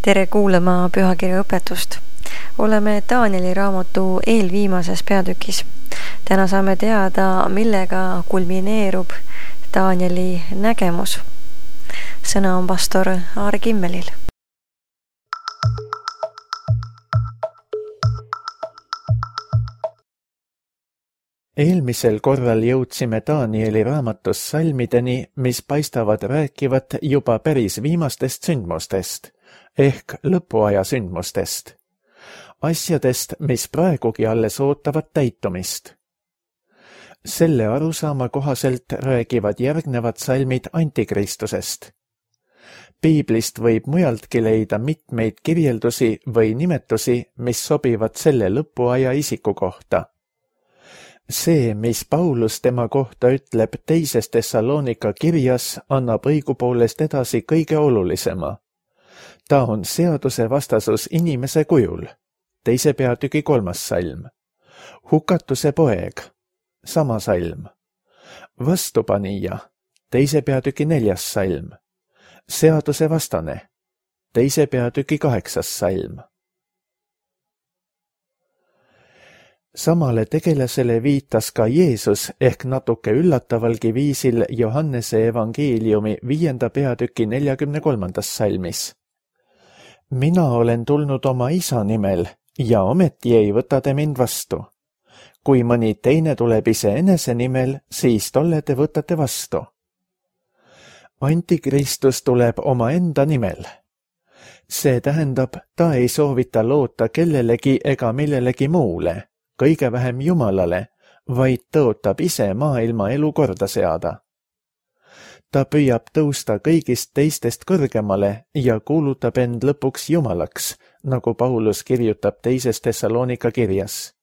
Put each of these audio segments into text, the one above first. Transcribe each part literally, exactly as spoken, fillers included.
Tere kuulama pühakirja õpetust. Oleme Danieli raamatu eelviimases peatükis. Täna saame teada, millega kulmineerub Danieli nägemus. Sõna on pastor Aare Kimmelil. Eelmisel korral jõudsime Danieli raamatus salmideni, mis paistavad rääkivat juba päris viimastest sündmustest, ehk lõpuaja sündmustest. Asjadest, mis praegugi alles ootavad täitumist. Selle arusaama kohaselt räägivad järgnevad salmid antikristusest. Piiblist võib mujaltki leida mitmeid kirjeldusi või nimetusi, mis sobivad selle lõpuaja isiku kohta. See, mis Paulus tema kohta ütleb teises Thessalonika kirjas, annab õigupoolest edasi kõige olulisema. Ta on seaduse vastasus inimese kujul, teise peatüki kolmas salm. Hukatuse poeg, sama salm. Vastupanija, teise peatüki neljas salm. Seaduse vastane, teise peatüki kaheksas salm. Samale tegelasele viitas ka Jeesus ehk natuke üllatavalgi viisil Johannese evangeeliumi viienda peatüki neljakümne kolmandas salmis. Mina olen tulnud oma isa nimel ja ometi ei võta te mind vastu. Kui mõni teine tuleb iseenese nimel, siis tolle te võtate vastu. Antikristus tuleb omaenda nimel. See tähendab, ta ei soovita loota kellelegi ega millelegi muule, kõige vähem Jumalale, vaid tõotab ise maailma elu korda seada. Ta püüab tõusta kõigist teistest kõrgemale ja kuulutab end lõpuks Jumalaks, nagu Paulus kirjutab teises Thessalonika kirjas.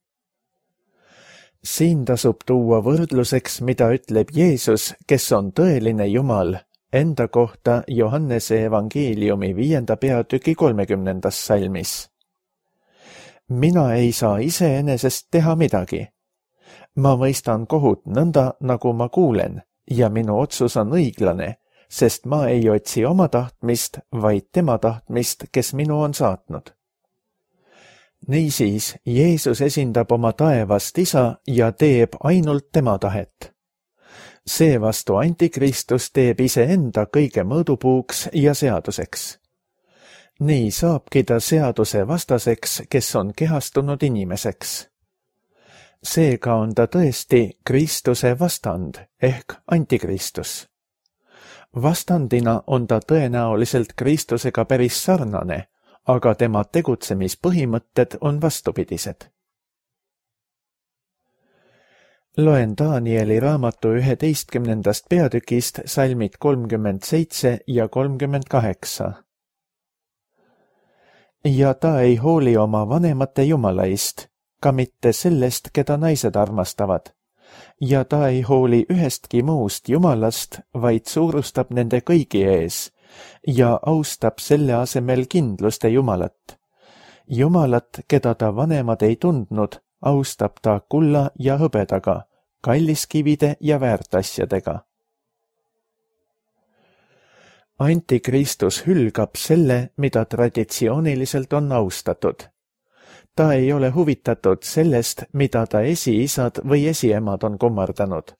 Siin tasub tuua võrdluseks, mida ütleb Jeesus, kes on tõeline Jumal, enda kohta Johannese evangeeliumi viienda peatüki kolmekümnendas salmis. Mina ei saa iseenesest teha midagi. Ma mõistan kohut nõnda, nagu ma kuulen, ja minu otsus on õiglane, sest ma ei otsi oma tahtmist, vaid tema tahtmist, kes minu on saatnud. Niisiis, Jeesus esindab oma taevast isa ja teeb ainult tema tahet. Seevastu antikristus teeb iseenda kõige mõõdupuuks ja seaduseks. Nii saabki ta seaduse vastaseks, kes on kehastunud inimeseks. Seega on ta tõesti Kristuse vastand ehk antikristus. Vastandina on ta tõenäoliselt Kristusega päris sarnane, aga tema tegutsemispõhimõtted on vastupidised. Loen Danieli raamatu üheteistkümnendast peatükist salmid kolmkümmend seitse ja kolmkümmend kaheksa. Ja ta ei hooli oma vanemate jumalaist, ka mitte sellest, keda naised armastavad. Ja ta ei hooli ühestki muust jumalast, vaid suurustab nende kõigi ees ja austab selle asemel kindluste jumalat. Jumalat, keda ta vanemad ei tundnud, austab ta kulla ja hõbedaga, kalliskivide ja väärtasjadega. Antikristus hülgab selle, mida traditsiooniliselt on austatud. Ta ei ole huvitatud sellest, mida ta esiisad või esiemad on kummardanud.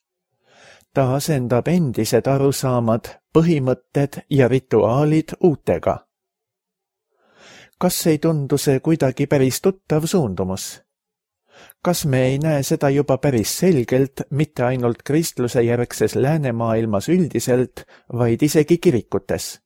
Ta asendab endised arusaamad, põhimõtted ja rituaalid uutega. Kas ei tundu see kuidagi päris tuttav suundumus? Kas me ei näe seda juba päris selgelt, mitte ainult kristluse järgses läänemaailmas üldiselt, vaid isegi kirikutes?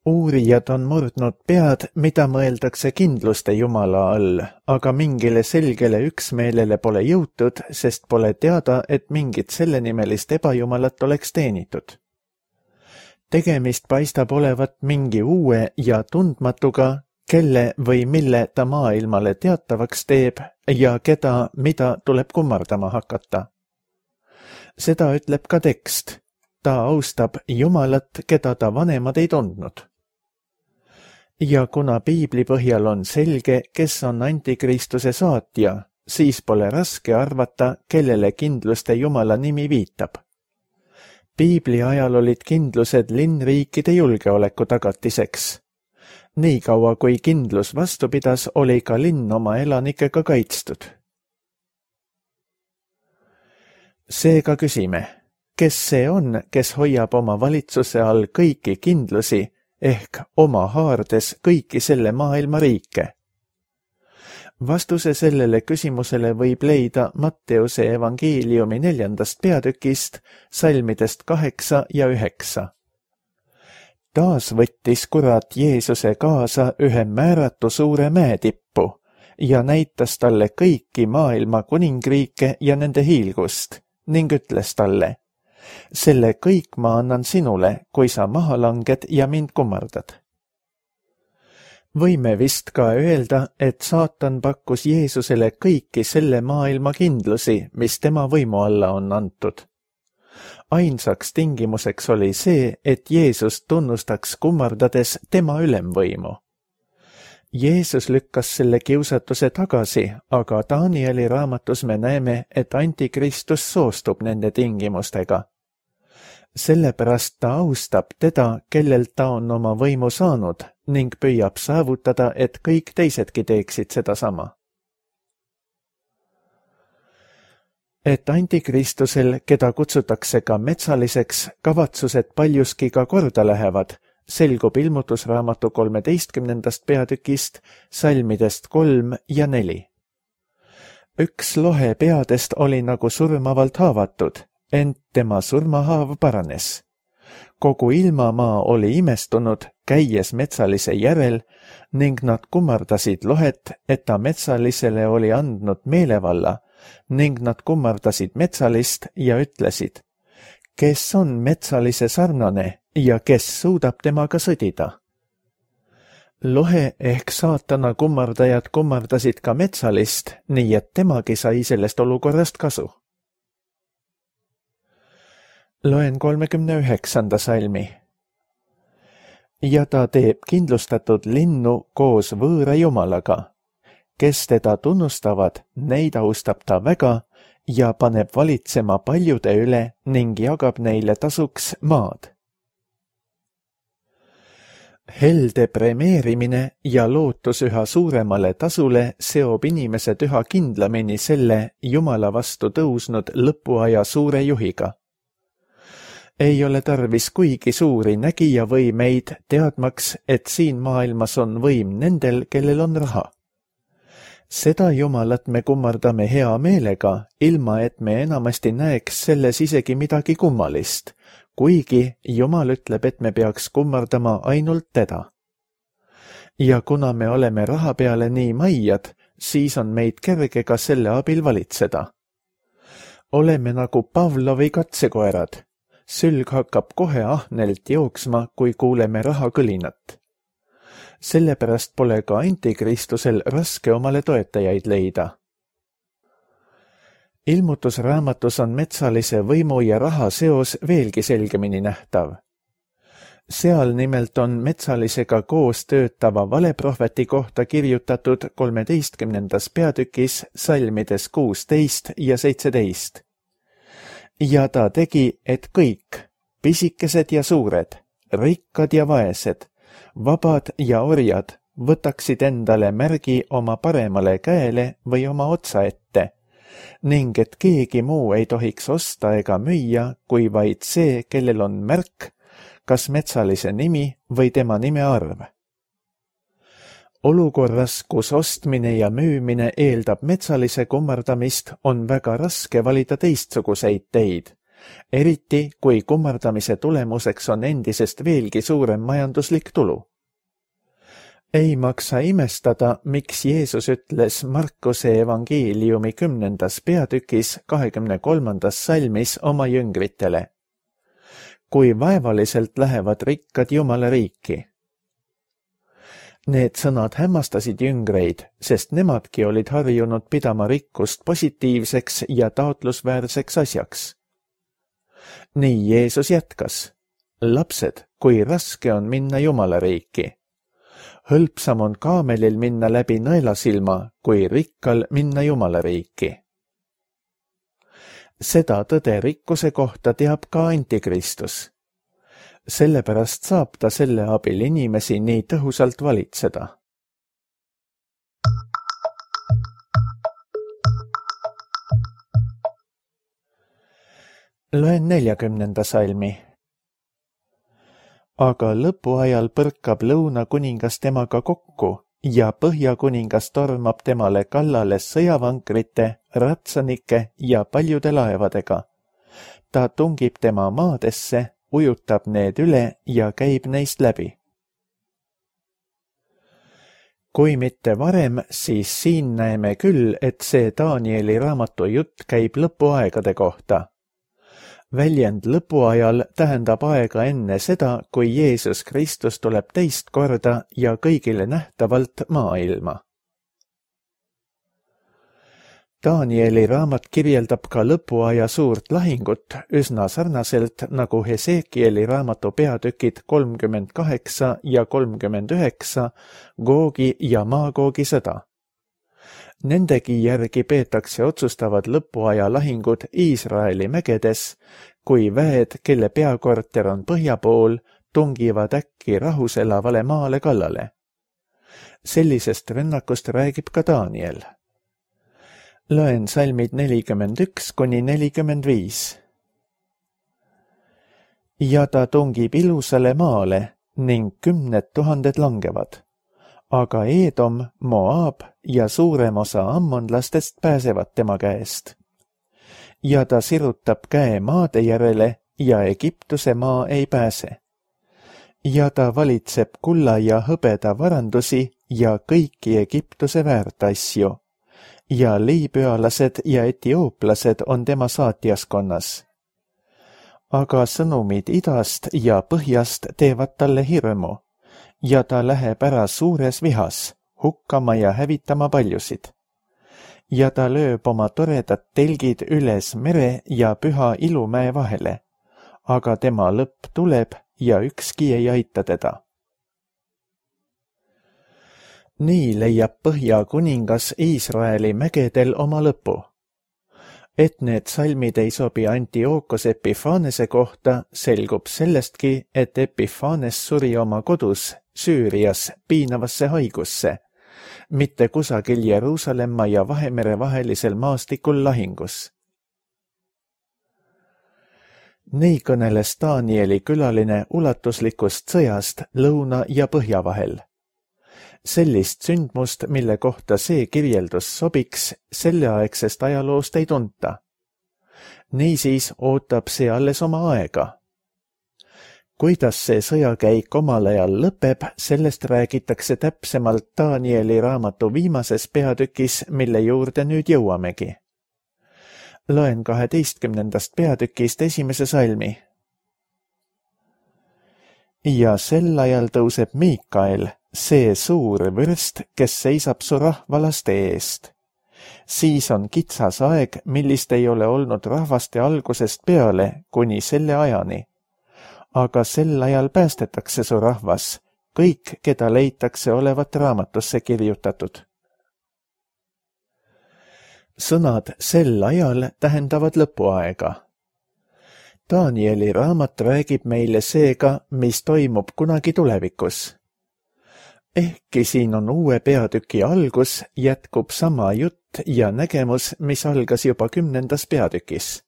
Uurijad on murdnud pead, mida mõeldakse kindluste Jumala all, aga mingile selgele üksmeelele pole jõutud, sest pole teada, et mingit sellenimelist ebajumalat oleks teenitud. Tegemist paistab olevat mingi uue ja tundmatuga, kelle või mille ta maailmale teatavaks teeb ja keda, mida tuleb kummardama hakata. Seda ütleb ka tekst. Ta austab Jumalat, keda ta vanemad ei tundnud. Ja kuna piibli põhjal on selge, kes on antikristuse saatja, siis pole raske arvata, kellele kindluste Jumala nimi viitab. Piibli ajal olid kindlused linnriikide julgeoleku tagatiseks. Nii kaua, kui kindlus vastu pidas, oli ka linn oma elanikega kaitstud. Seega küsime, kes see on, kes hoiab oma valitsuse all kõiki kindlusi ehk oma haardes kõiki selle maailma riike? Vastuse sellele küsimusele võib leida Matteuse evangeeliumi neljandast peatükist, salmidest kaheksa ja üheksa. Taas võttis kurat Jeesuse kaasa ühe määratu suure mäetippu ja näitas talle kõiki maailma kuningriike ja nende hiilgust ning ütles talle, selle kõik ma annan sinule, kui sa maha langed ja mind kummardad. Võime vist ka öelda, et saatan pakkus Jeesusele kõiki selle maailma kindlusi, mis tema võimu alla on antud. Ainsaks tingimuseks oli see, et Jeesus tunnustaks kummardades tema ülemvõimu. Jeesus lükkas selle kiusatuse tagasi, aga Danieli raamatus me näeme, et Antikristus soostub nende tingimustega. Sellepärast ta austab teda, kellelt ta on oma võimu saanud ning püüab saavutada, et kõik teisedki teeksid seda sama. Et Antikristusel, keda kutsutakse ka metsaliseks, kavatsused paljuski ka korda lähevad, selgub ilmutusraamatu kolmeteistkümnendast peatükist, salmidest kolm ja neli. Üks lohe peadest oli nagu surmavalt haavatud, ent tema surmahaav paranes. Kogu ilmamaa oli imestunud, käies metsalise järel, ning nad kummardasid lohet, et ta metsalisele oli andnud meelevalla, ning nad kummardasid metsalist ja ütlesid, kes on metsalise sarnane ja kes suudab temaga sõdida. Lohe ehk saatana kummardajad kummardasid ka metsalist, nii et temagi sai sellest olukorrast kasu. Loen kolmekümne üheksanda salmi. Ja ta teeb kindlustatud linnu koos võõra jumalaga. Kes teda tunnustavad, neid austab ta väga ja paneb valitsema paljude üle ning jagab neile tasuks maad. Helde premeerimine ja lootus üha suuremale tasule seob inimesed üha kindlamini selle Jumala vastu tõusnud lõpuaja suure juhiga. Ei ole tarvis kuigi suuri nägijavõimeid teadmaks, et siin maailmas on võim nendel, kellel on raha. Seda Jumalat me kummardame hea meelega, ilma et me enamasti näeks selles isegi midagi kummalist, kuigi Jumal ütleb, et me peaks kummardama ainult teda. Ja kuna me oleme raha peale nii maiad, siis on meid kerge ka selle abil valitseda. Oleme nagu Pavlovi katsekoerad. Sülg hakkab kohe ahnelt jooksma, kui kuuleme raha kõlinat. Sellepärast pole ka Antikristusel raske omale toetajaid leida. Ilmutusraamatus on metsalise võimu ja raha seos veelgi selgemini nähtav. Seal nimelt on metsalisega koos töötava valeprohveti kohta kirjutatud kolmeteistkümnendas peatükis salmides kuusteist ja seitseteist. Ja ta tegi, et kõik, pisikesed ja suured, rikkad ja vaesed, vabad ja orjad, võtaksid endale märgi oma paremale käele või oma otsa ette, ning et keegi muu ei tohiks osta ega müüa, kui vaid see, kellel on märk, kas metsalise nimi või tema nime arv. Olukorras, kus ostmine ja müümine eeldab metsalise kummardamist, on väga raske valida teistsuguseid teid, eriti kui kummardamise tulemuseks on endisest veelgi suurem majanduslik tulu. Ei maksa imestada, miks Jeesus ütles Markuse evangeeliumi kümnendas peatükis kahekümne kolmandas salmis oma jüngritele. Kui vaevaliselt lähevad rikkad Jumala riiki. Need sõnad hämmastasid jüngreid, sest nemadki olid harjunud pidama rikkust positiivseks ja taotlusväärseks asjaks. Nii Jeesus jätkas. Lapsed, kui raske on minna Jumala riiki. Hõlpsam on kaamelil minna läbi nõelasilma, kui rikkal minna Jumala riiki. Seda tõde rikkuse kohta teab ka Antikristus. Sellepärast saab ta selle abil inimesi nii tõhusalt valitseda. Loen neljakümnenda salmi. Aga lõpuajal põrkab lõunakuningas temaga kokku ja põhjakuningas tormab temale kallale sõjavankrite, ratsanike ja paljude laevadega. Ta tungib tema maadesse, ujutab need üle ja käib neist läbi. Kui mitte varem, siis siin näeme küll, et see Danieli raamatu jutt käib lõpuaegade kohta. Väljend lõpuajal tähendab aega enne seda, kui Jeesus Kristus tuleb teist korda ja kõigile nähtavalt maailma. Danieli raamat kirjeldab ka lõpuaja suurt lahingut üsna sarnaselt nagu Hesekieli raamatu peatükid kolmkümmend kaheksa ja kolmkümmend üheksa Googi ja Maagoogi sõda. Nendegi järgi peetakse otsustavad lõpuaja lahingud Iisraeli mägedes, kui väed, kelle peakorter on põhja pool, tungivad äkki rahus elavale maale kallale. Sellisest rünnakust räägib ka Daniel. Loen salmid nelikümmend üks kuni nelikümmend viis. Ja ta tungib ilusale maale ning kümned tuhanded langevad. Aga Eedom, Moab ja suurem osa ammonlastest pääsevad tema käest. Ja ta sirutab käe maade järele ja Egiptuse maa ei pääse. Ja ta valitseb kulla ja hõbeda varandusi ja kõiki Egiptuse väärtasju. Ja liibüalased ja etiooplased on tema saatjaskonnas. Aga sõnumid idast ja põhjast teevad talle hirmu. Ja ta läheb ära suures vihas, hukkama ja hävitama paljusid. Ja ta lööb oma toredad telgid üles mere ja püha ilumäe vahele, aga tema lõpp tuleb ja ükski ei aita teda. Nii leiab põhjakuningas Iisraeli mägedel oma lõpu. Et need salmid ei sobi Antiookos Epifanese kohta, selgub sellestki, et Epifanes suri oma kodus Süürias piinavasse haigusse, mitte kusagil Jeruusalemma ja Vahemere vahelisel maastikul lahingus. Nii kõneles Danieli külaline ulatuslikust sõjast lõuna ja põhja vahel. Sellist sündmust, mille kohta see kirjeldus sobiks, selleaegsest ajaloost ei tunta. Niisiis ootab see alles oma aega. Kuidas see sõjakäik omal ajal lõpeb, sellest räägitakse täpsemalt Danieli raamatu viimases peatükis, mille juurde nüüd jõuamegi. Loen kaheteistkümnendast peatükist esimese salmi. Ja sel ajal tõuseb Miikael, see suur vürst, kes seisab su rahvalaste eest. Siis on kitsas aeg, millist ei ole olnud rahvaste algusest peale kuni selle ajani. Aga sel ajal päästetakse su rahvas, kõik, keda leitakse olevat raamatusse kirjutatud. Sõnad sel ajal tähendavad lõpuaega. Danieli raamat räägib meile seega, mis toimub kunagi tulevikus. Ehkki siin on uue peatüki algus, jätkub sama jutt ja nägemus, mis algas juba kümnendas peatükis.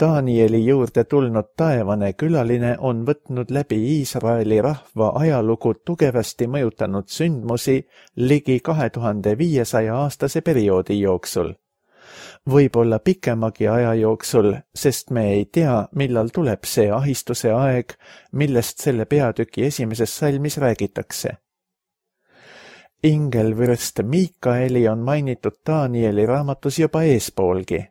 Danieli juurde tulnud taevane külaline on võtnud läbi Iisraeli rahva ajalugu tugevasti mõjutanud sündmusi ligi kahe tuhande viiesaja aastase perioodi jooksul. Võib-olla pikemagi aja jooksul, sest me ei tea, millal tuleb see ahistuse aeg, millest selle peatüki esimeses salmis räägitakse. Ingelvürst Miikaeli on mainitud Danieli raamatus juba eespoolgi.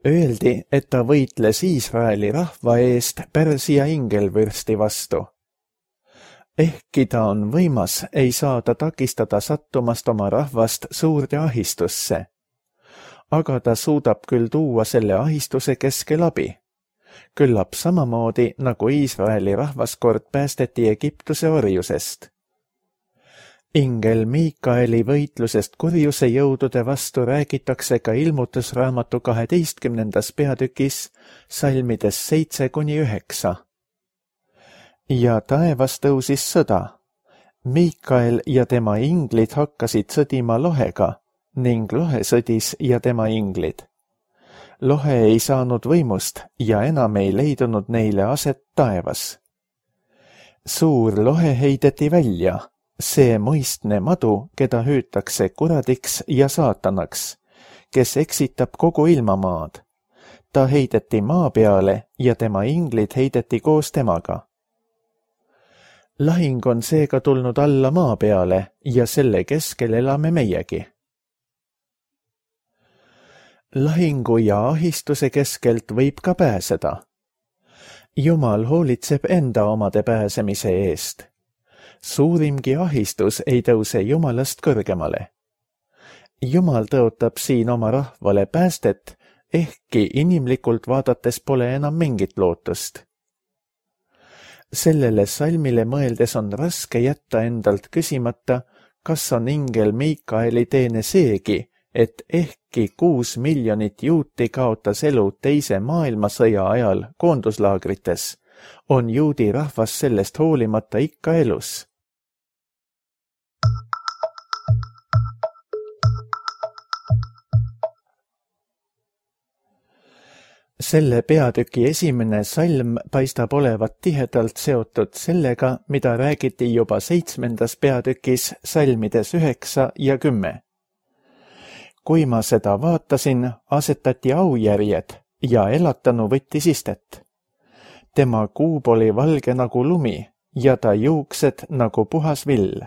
Öeldi, et ta võitles Iisraeli rahva eest Pärsia ingelvürsti vastu. Ehkki ta on võimas, ei saa ta takistada sattumast oma rahvast suurde ahistusse. Aga ta suudab küll tuua selle ahistuse keskel abi. küllap samamoodi nagu Iisraeli rahvaskord päästeti Egiptuse orjusest. Ingel Miikaeli võitlusest kurjuse jõudude vastu räägitakse ka ilmutusraamatu kaheteistkümnendas peatükis salmides seitse kuni üheksa. Ja taevas tõusis sõda. Miikael ja tema inglid hakkasid sõdima lohega ning lohe sõdis ja tema inglid. Lohe ei saanud võimust ja enam ei leidunud neile aset taevas. Suur lohe heideti välja, see mõistne madu, keda hüütakse kuradiks ja saatanaks, kes eksitab kogu ilmamaad. Ta heideti maa peale ja tema inglid heideti koos temaga. Lahing on seega tulnud alla maa peale ja selle keskel elame meiegi. Lahingu ja ahistuse keskelt võib ka pääseda. Jumal hoolitseb enda omade pääsemise eest. Suurimgi ahistus ei tõuse Jumalast kõrgemale. Jumal tõotab siin oma rahvale päästet, ehkki inimlikult vaadates pole enam mingit lootust. Sellele salmile mõeldes on raske jätta endalt küsimata, kas on ingel Miikaeli teene seegi, et ehkki kuus miljonit juuti kaotas elu teise maailmasõja ajal koonduslaagrites, on juudi rahvas sellest hoolimata ikka elus. Selle peatüki esimene salm paistab olevat tihedalt seotud sellega, mida räägiti juba seitsmendas peatükis salmides üheksa ja kümme. Kui ma seda vaatasin, asetati aujärjed ja elatanu võttis istet. Tema kuub oli valge nagu lumi ja ta juuksed nagu puhas vill.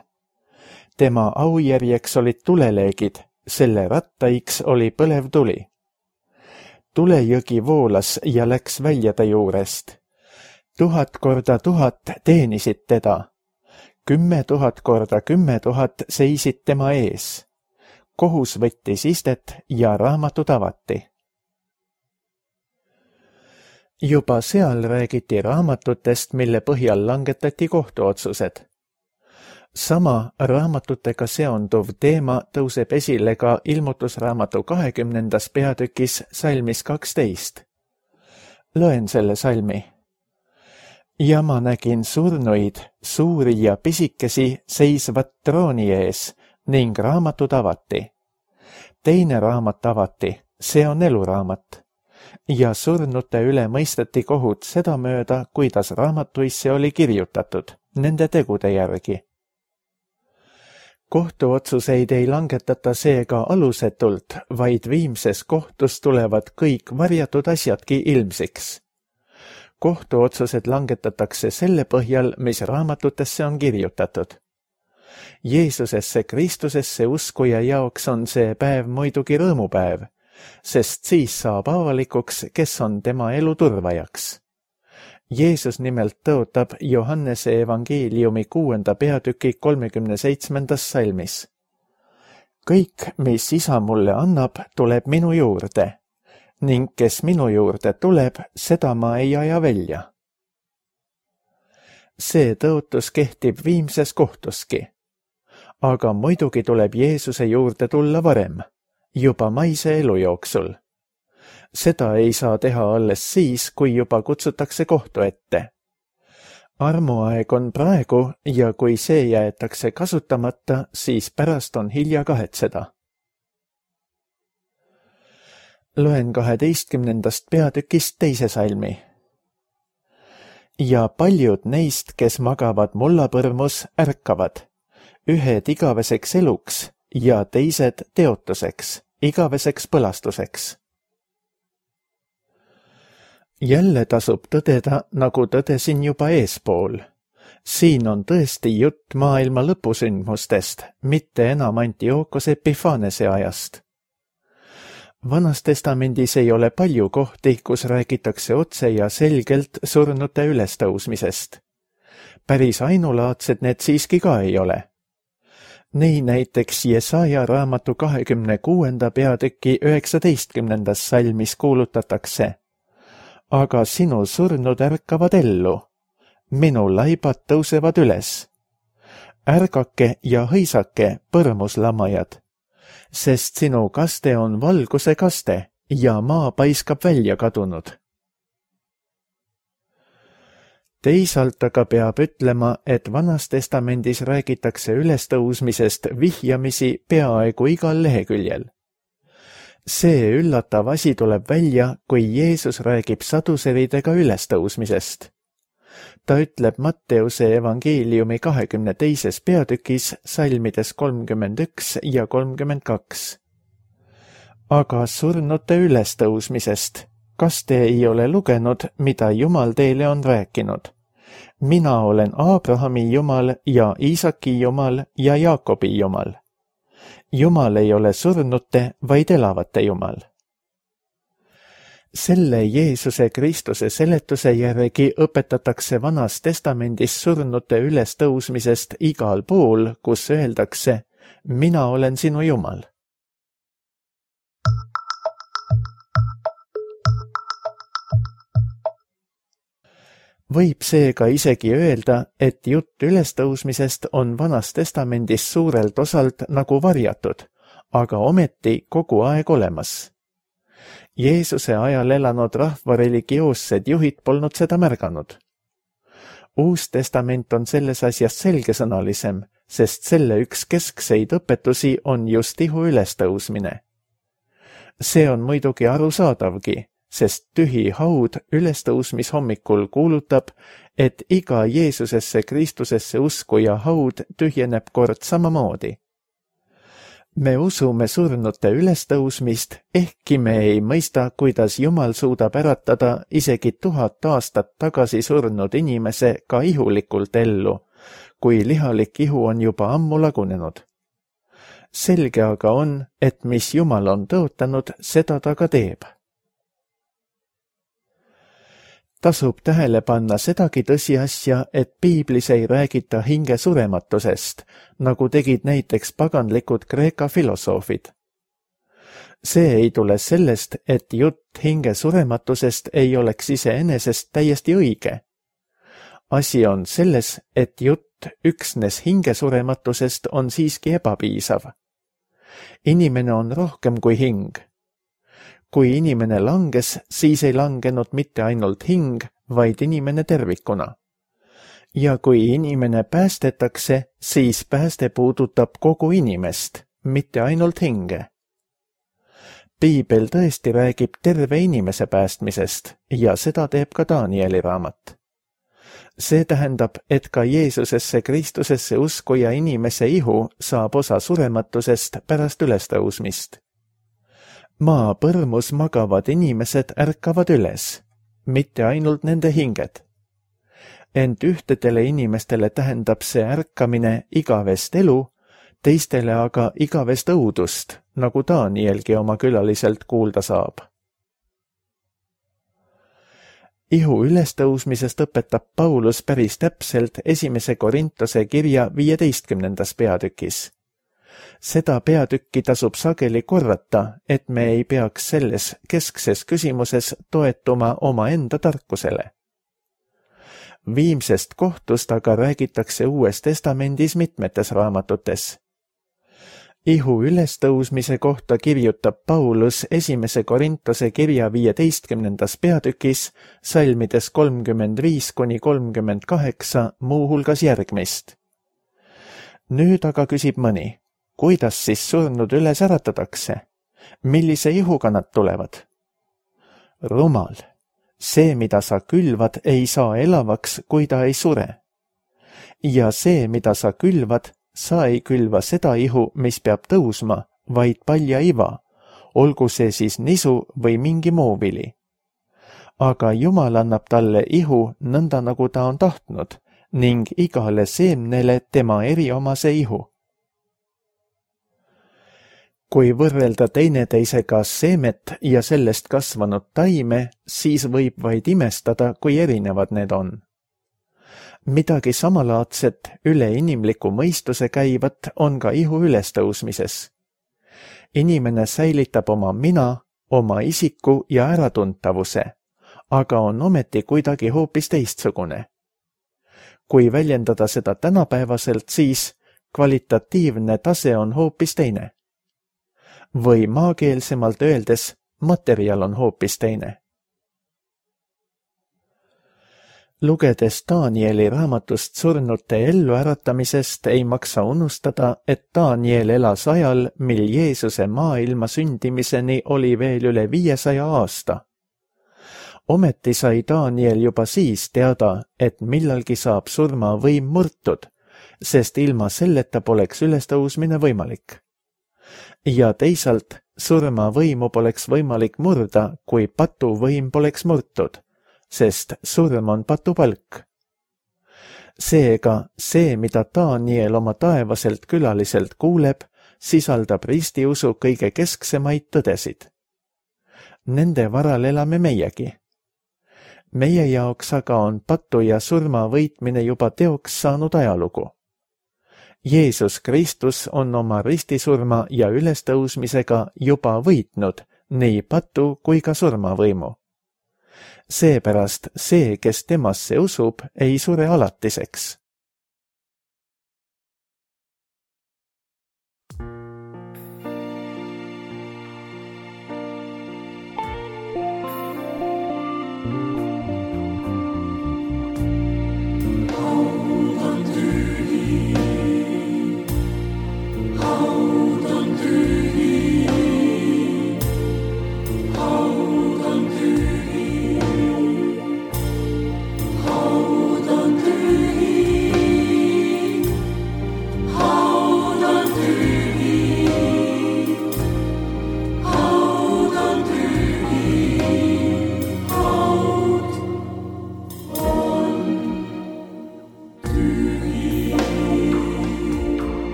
Tema aujärjeks olid tuleleegid, selle rattaiks oli põlev tuli. Tulejõgi voolas ja läks välja ta juurest. Tuhat korda tuhat teenisid teda. Kümme tuhat korda kümme tuhat seisid tema ees. Kohus võttis istet ja raamatud avati. Juba seal räägiti raamatutest, mille põhjal langetati kohtuotsused. Sama raamatutega seonduv teema tõuseb esile ka ilmutusraamatu kahekümnendas peatükis salmis kaksteist. Loen selle salmi. Ja ma nägin surnuid, suuri ja pisikesi seisvat trooni ees ning raamatud avati. Teine raamat avati, see on eluraamat. Ja surnute üle mõisteti kohut seda mööda, kuidas raamatuisse oli kirjutatud, nende tegude järgi. Kohtuotsuseid ei langetata seega alusetult, vaid viimses kohtus tulevad kõik varjatud asjadki ilmsiks. Kohtuotsused langetatakse selle põhjal, mis raamatutesse on kirjutatud. Jeesusesse Kristusesse uskuja jaoks on see päev muidugi rõõmupäev, sest siis saab avalikuks, kes on tema elu turvajaks. Jeesus nimelt tõotab Johannese evangeeliumi kuuenda peatüki kolmekümne seitsmendas salmis. Kõik, mis isa mulle annab, tuleb minu juurde, ning kes minu juurde tuleb, seda ma ei aja välja. See tõotus kehtib viimses kohtuski. Aga muidugi tuleb Jeesuse juurde tulla varem, juba maise elu jooksul. Seda ei saa teha alles siis, kui juba kutsutakse kohtu ette. Armuaeg on praegu ja kui see jäetakse kasutamata, siis pärast on hilja kahetseda. Loen kaheteistkümnendast peatükist teise salmi. Ja paljud neist, kes magavad mullapõrmus, ärkavad, ühed igaveseks eluks ja teised teotuseks, igaveseks põlastuseks. Jälle tasub tõdeda, nagu tõdesin juba eespool. Siin on tõesti jutt maailma lõpusündmustest, mitte enam Antiookos Epifanese ajast. Vanas testamendis ei ole palju kohti, kus räägitakse otse ja selgelt surnute ülestõusmisest. Päris ainulaadsed need siiski ka ei ole. Nii näiteks Jesaja raamatu kahekümne kuuenda peatüki üheksateistkümnendas salmis kuulutatakse. aga sinu surnud ärkavad ellu, minu laibad tõusevad üles. Ärgake ja hõisake, põrmuslamajad, sest sinu kaste on valguse kaste ja maa paiskab välja kadunud. Teisalt aga peab ütlema, et Vanas Testamendis räägitakse ülestõusmisest vihjamisi peaaegu igal leheküljel. See üllatav asi tuleb välja, kui Jeesus räägib saduseridega ülestõusmisest. Ta ütleb Matteuse evangeeliumi kahekümne teises peatükis salmides kolmkümmend üks ja kolmkümmend kaks. Aga surnute ülestõusmisest, kas te ei ole lugenud, mida Jumal teile on rääkinud? Mina olen Abrahami Jumal ja Iisaki Jumal ja Jaakobi Jumal. Jumal ei ole surnute, vaid elavate Jumal. Selle Jeesuse Kristuse seletuse järgi õpetatakse Vanas Testamendis surnute ülestõusmisest igal pool, kus öeldakse, mina olen sinu Jumal. Võib seega isegi öelda, et jutt ülestõusmisest on Vanas Testamendis suurelt osalt nagu varjatud, aga ometi kogu aeg olemas. Jeesuse ajal elanud rahva religioossed juhid polnud seda märganud. Uus testament on selles asjas selgesõnalisem, sest selle üks keskseid õpetusi on just ihu ülestõusmine. See on muidugi arusaadavgi, sest tühi haud ülestõusmishommikul kuulutab, et iga Jeesusesse Kristusesse uskuja haud tühjeneb kord samamoodi. Me usume surnute ülestõusmist, ehkki me ei mõista, kuidas Jumal suudab äratada isegi tuhat aastat tagasi surnud inimese ka ihulikult ellu, kui lihalik ihu on juba ammu lagunenud. Selge aga on, et mis Jumal on tõotanud, seda ta ka teeb. Tasub tähele panna sedagi tõsiasja, et piiblis ei räägita hinge surematusest, nagu tegid näiteks paganlikud Kreeka filosoofid. See ei tule sellest, et jutt hinge surematusest ei oleks iseenesest täiesti õige. Asi on selles, et jutt üksnes hinge surematusest on siiski ebapiisav. Inimene on rohkem kui hing. Kui inimene langes, siis ei langenud mitte ainult hing, vaid inimene tervikuna. Ja kui inimene päästetakse, siis pääste puudutab kogu inimest, mitte ainult hinge. Piibel tõesti räägib terve inimese päästmisest ja seda teeb ka Danieli raamat. See tähendab, et ka Jeesusesse Kristusesse uskuja inimese ihu saab osa surematusest pärast ülestõusmist. Maa põrmus magavad inimesed ärkavad üles, mitte ainult nende hinged. Ent ühtedele inimestele tähendab see ärkamine igavest elu, teistele aga igavest õudust, nagu Danielgi oma külaliselt kuulda saab. Ihu ülestõusmisest õpetab Paulus päris täpselt esimese Korintuse kirja viieteistkümnendas peatükis. Seda peatükki tasub sageli korrata, et me ei peaks selles keskses küsimuses toetuma oma enda tarkusele. Viimsest kohtust aga räägitakse Uues Testamendis mitmetes raamatutes. Ihu ülestõusmise kohta kirjutab Paulus esimese Korintuse kirja viieteistkümnendas peatükis salmides kolmkümmend viis kuni kolmkümmend kaheksa muuhulgas järgmist. Nüüd aga küsib mõni, kuidas siis surnud üles äratatakse? Millise ihuga nad tulevad? Rumal, see, mida sa külvad, ei saa elavaks, kui ta ei sure. Ja see, mida sa külvad, sa ei külva seda ihu, mis peab tõusma, vaid palja iva, olgu see siis nisu või mingi muu vili. Aga Jumal annab talle ihu nõnda, nagu ta on tahtnud, ning igale seemnele tema eriomase ihu. Kui võrrelda teineteisega seemet ja sellest kasvanud taime, siis võib vaid imestada, kui erinevad need on. Midagi samalaadset üle inimliku mõistuse käivat on ka ihu ülestõusmises. Inimene säilitab oma mina, oma isiku ja äratuntavuse, aga on ometi kuidagi hoopis teistsugune. Kui väljendada seda tänapäevaselt, siis kvalitatiivne tase on hoopis teine. Või maakeelsemalt öeldes, materjal on hoopis teine. Lugedes Danieli raamatust surnute elluäratamisest ei maksa unustada, et Daniel elas ajal, mil Jeesuse maailma sündimiseni oli veel üle viiesaja aasta. Ometi sai Daniel juba siis teada, et millalgi saab surma võim murtud, sest ilma selleta poleks ülestõusmine võimalik. Ja teisalt surma võimu poleks võimalik murda, kui patuvõim poleks murtud, sest surm on patupalk. Seega see, mida Daniel oma taevaselt külaliselt kuuleb, sisaldab ristiusu kõige kesksemaid tõdesid. Nende varal elame meiegi. Meie jaoks aga on patu ja surma võitmine juba teoks saanud ajalugu. Jeesus Kristus on oma ristisurma ja ülestõusmisega juba võitnud nii patu kui ka surmavõimu. Seepärast see, kes temasse usub, ei sure alatiseks.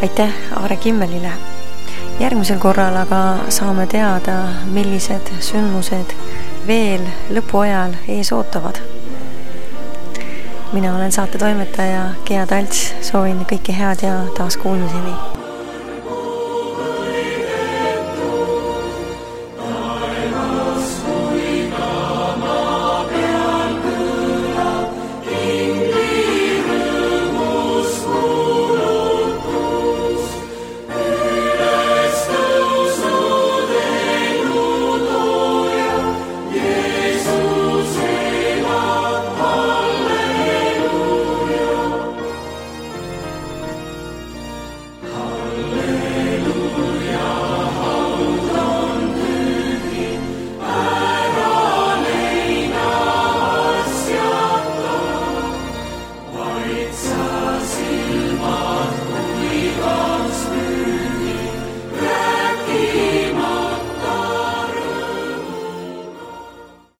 Aitäh Aare Kimmelile. Järgmisel korral aga saame teada, millised sündmused veel lõpuajal ees ootavad. Mina olen saate toimetaja Gea Talts, soovin kõike head ja taas kuulmiseni.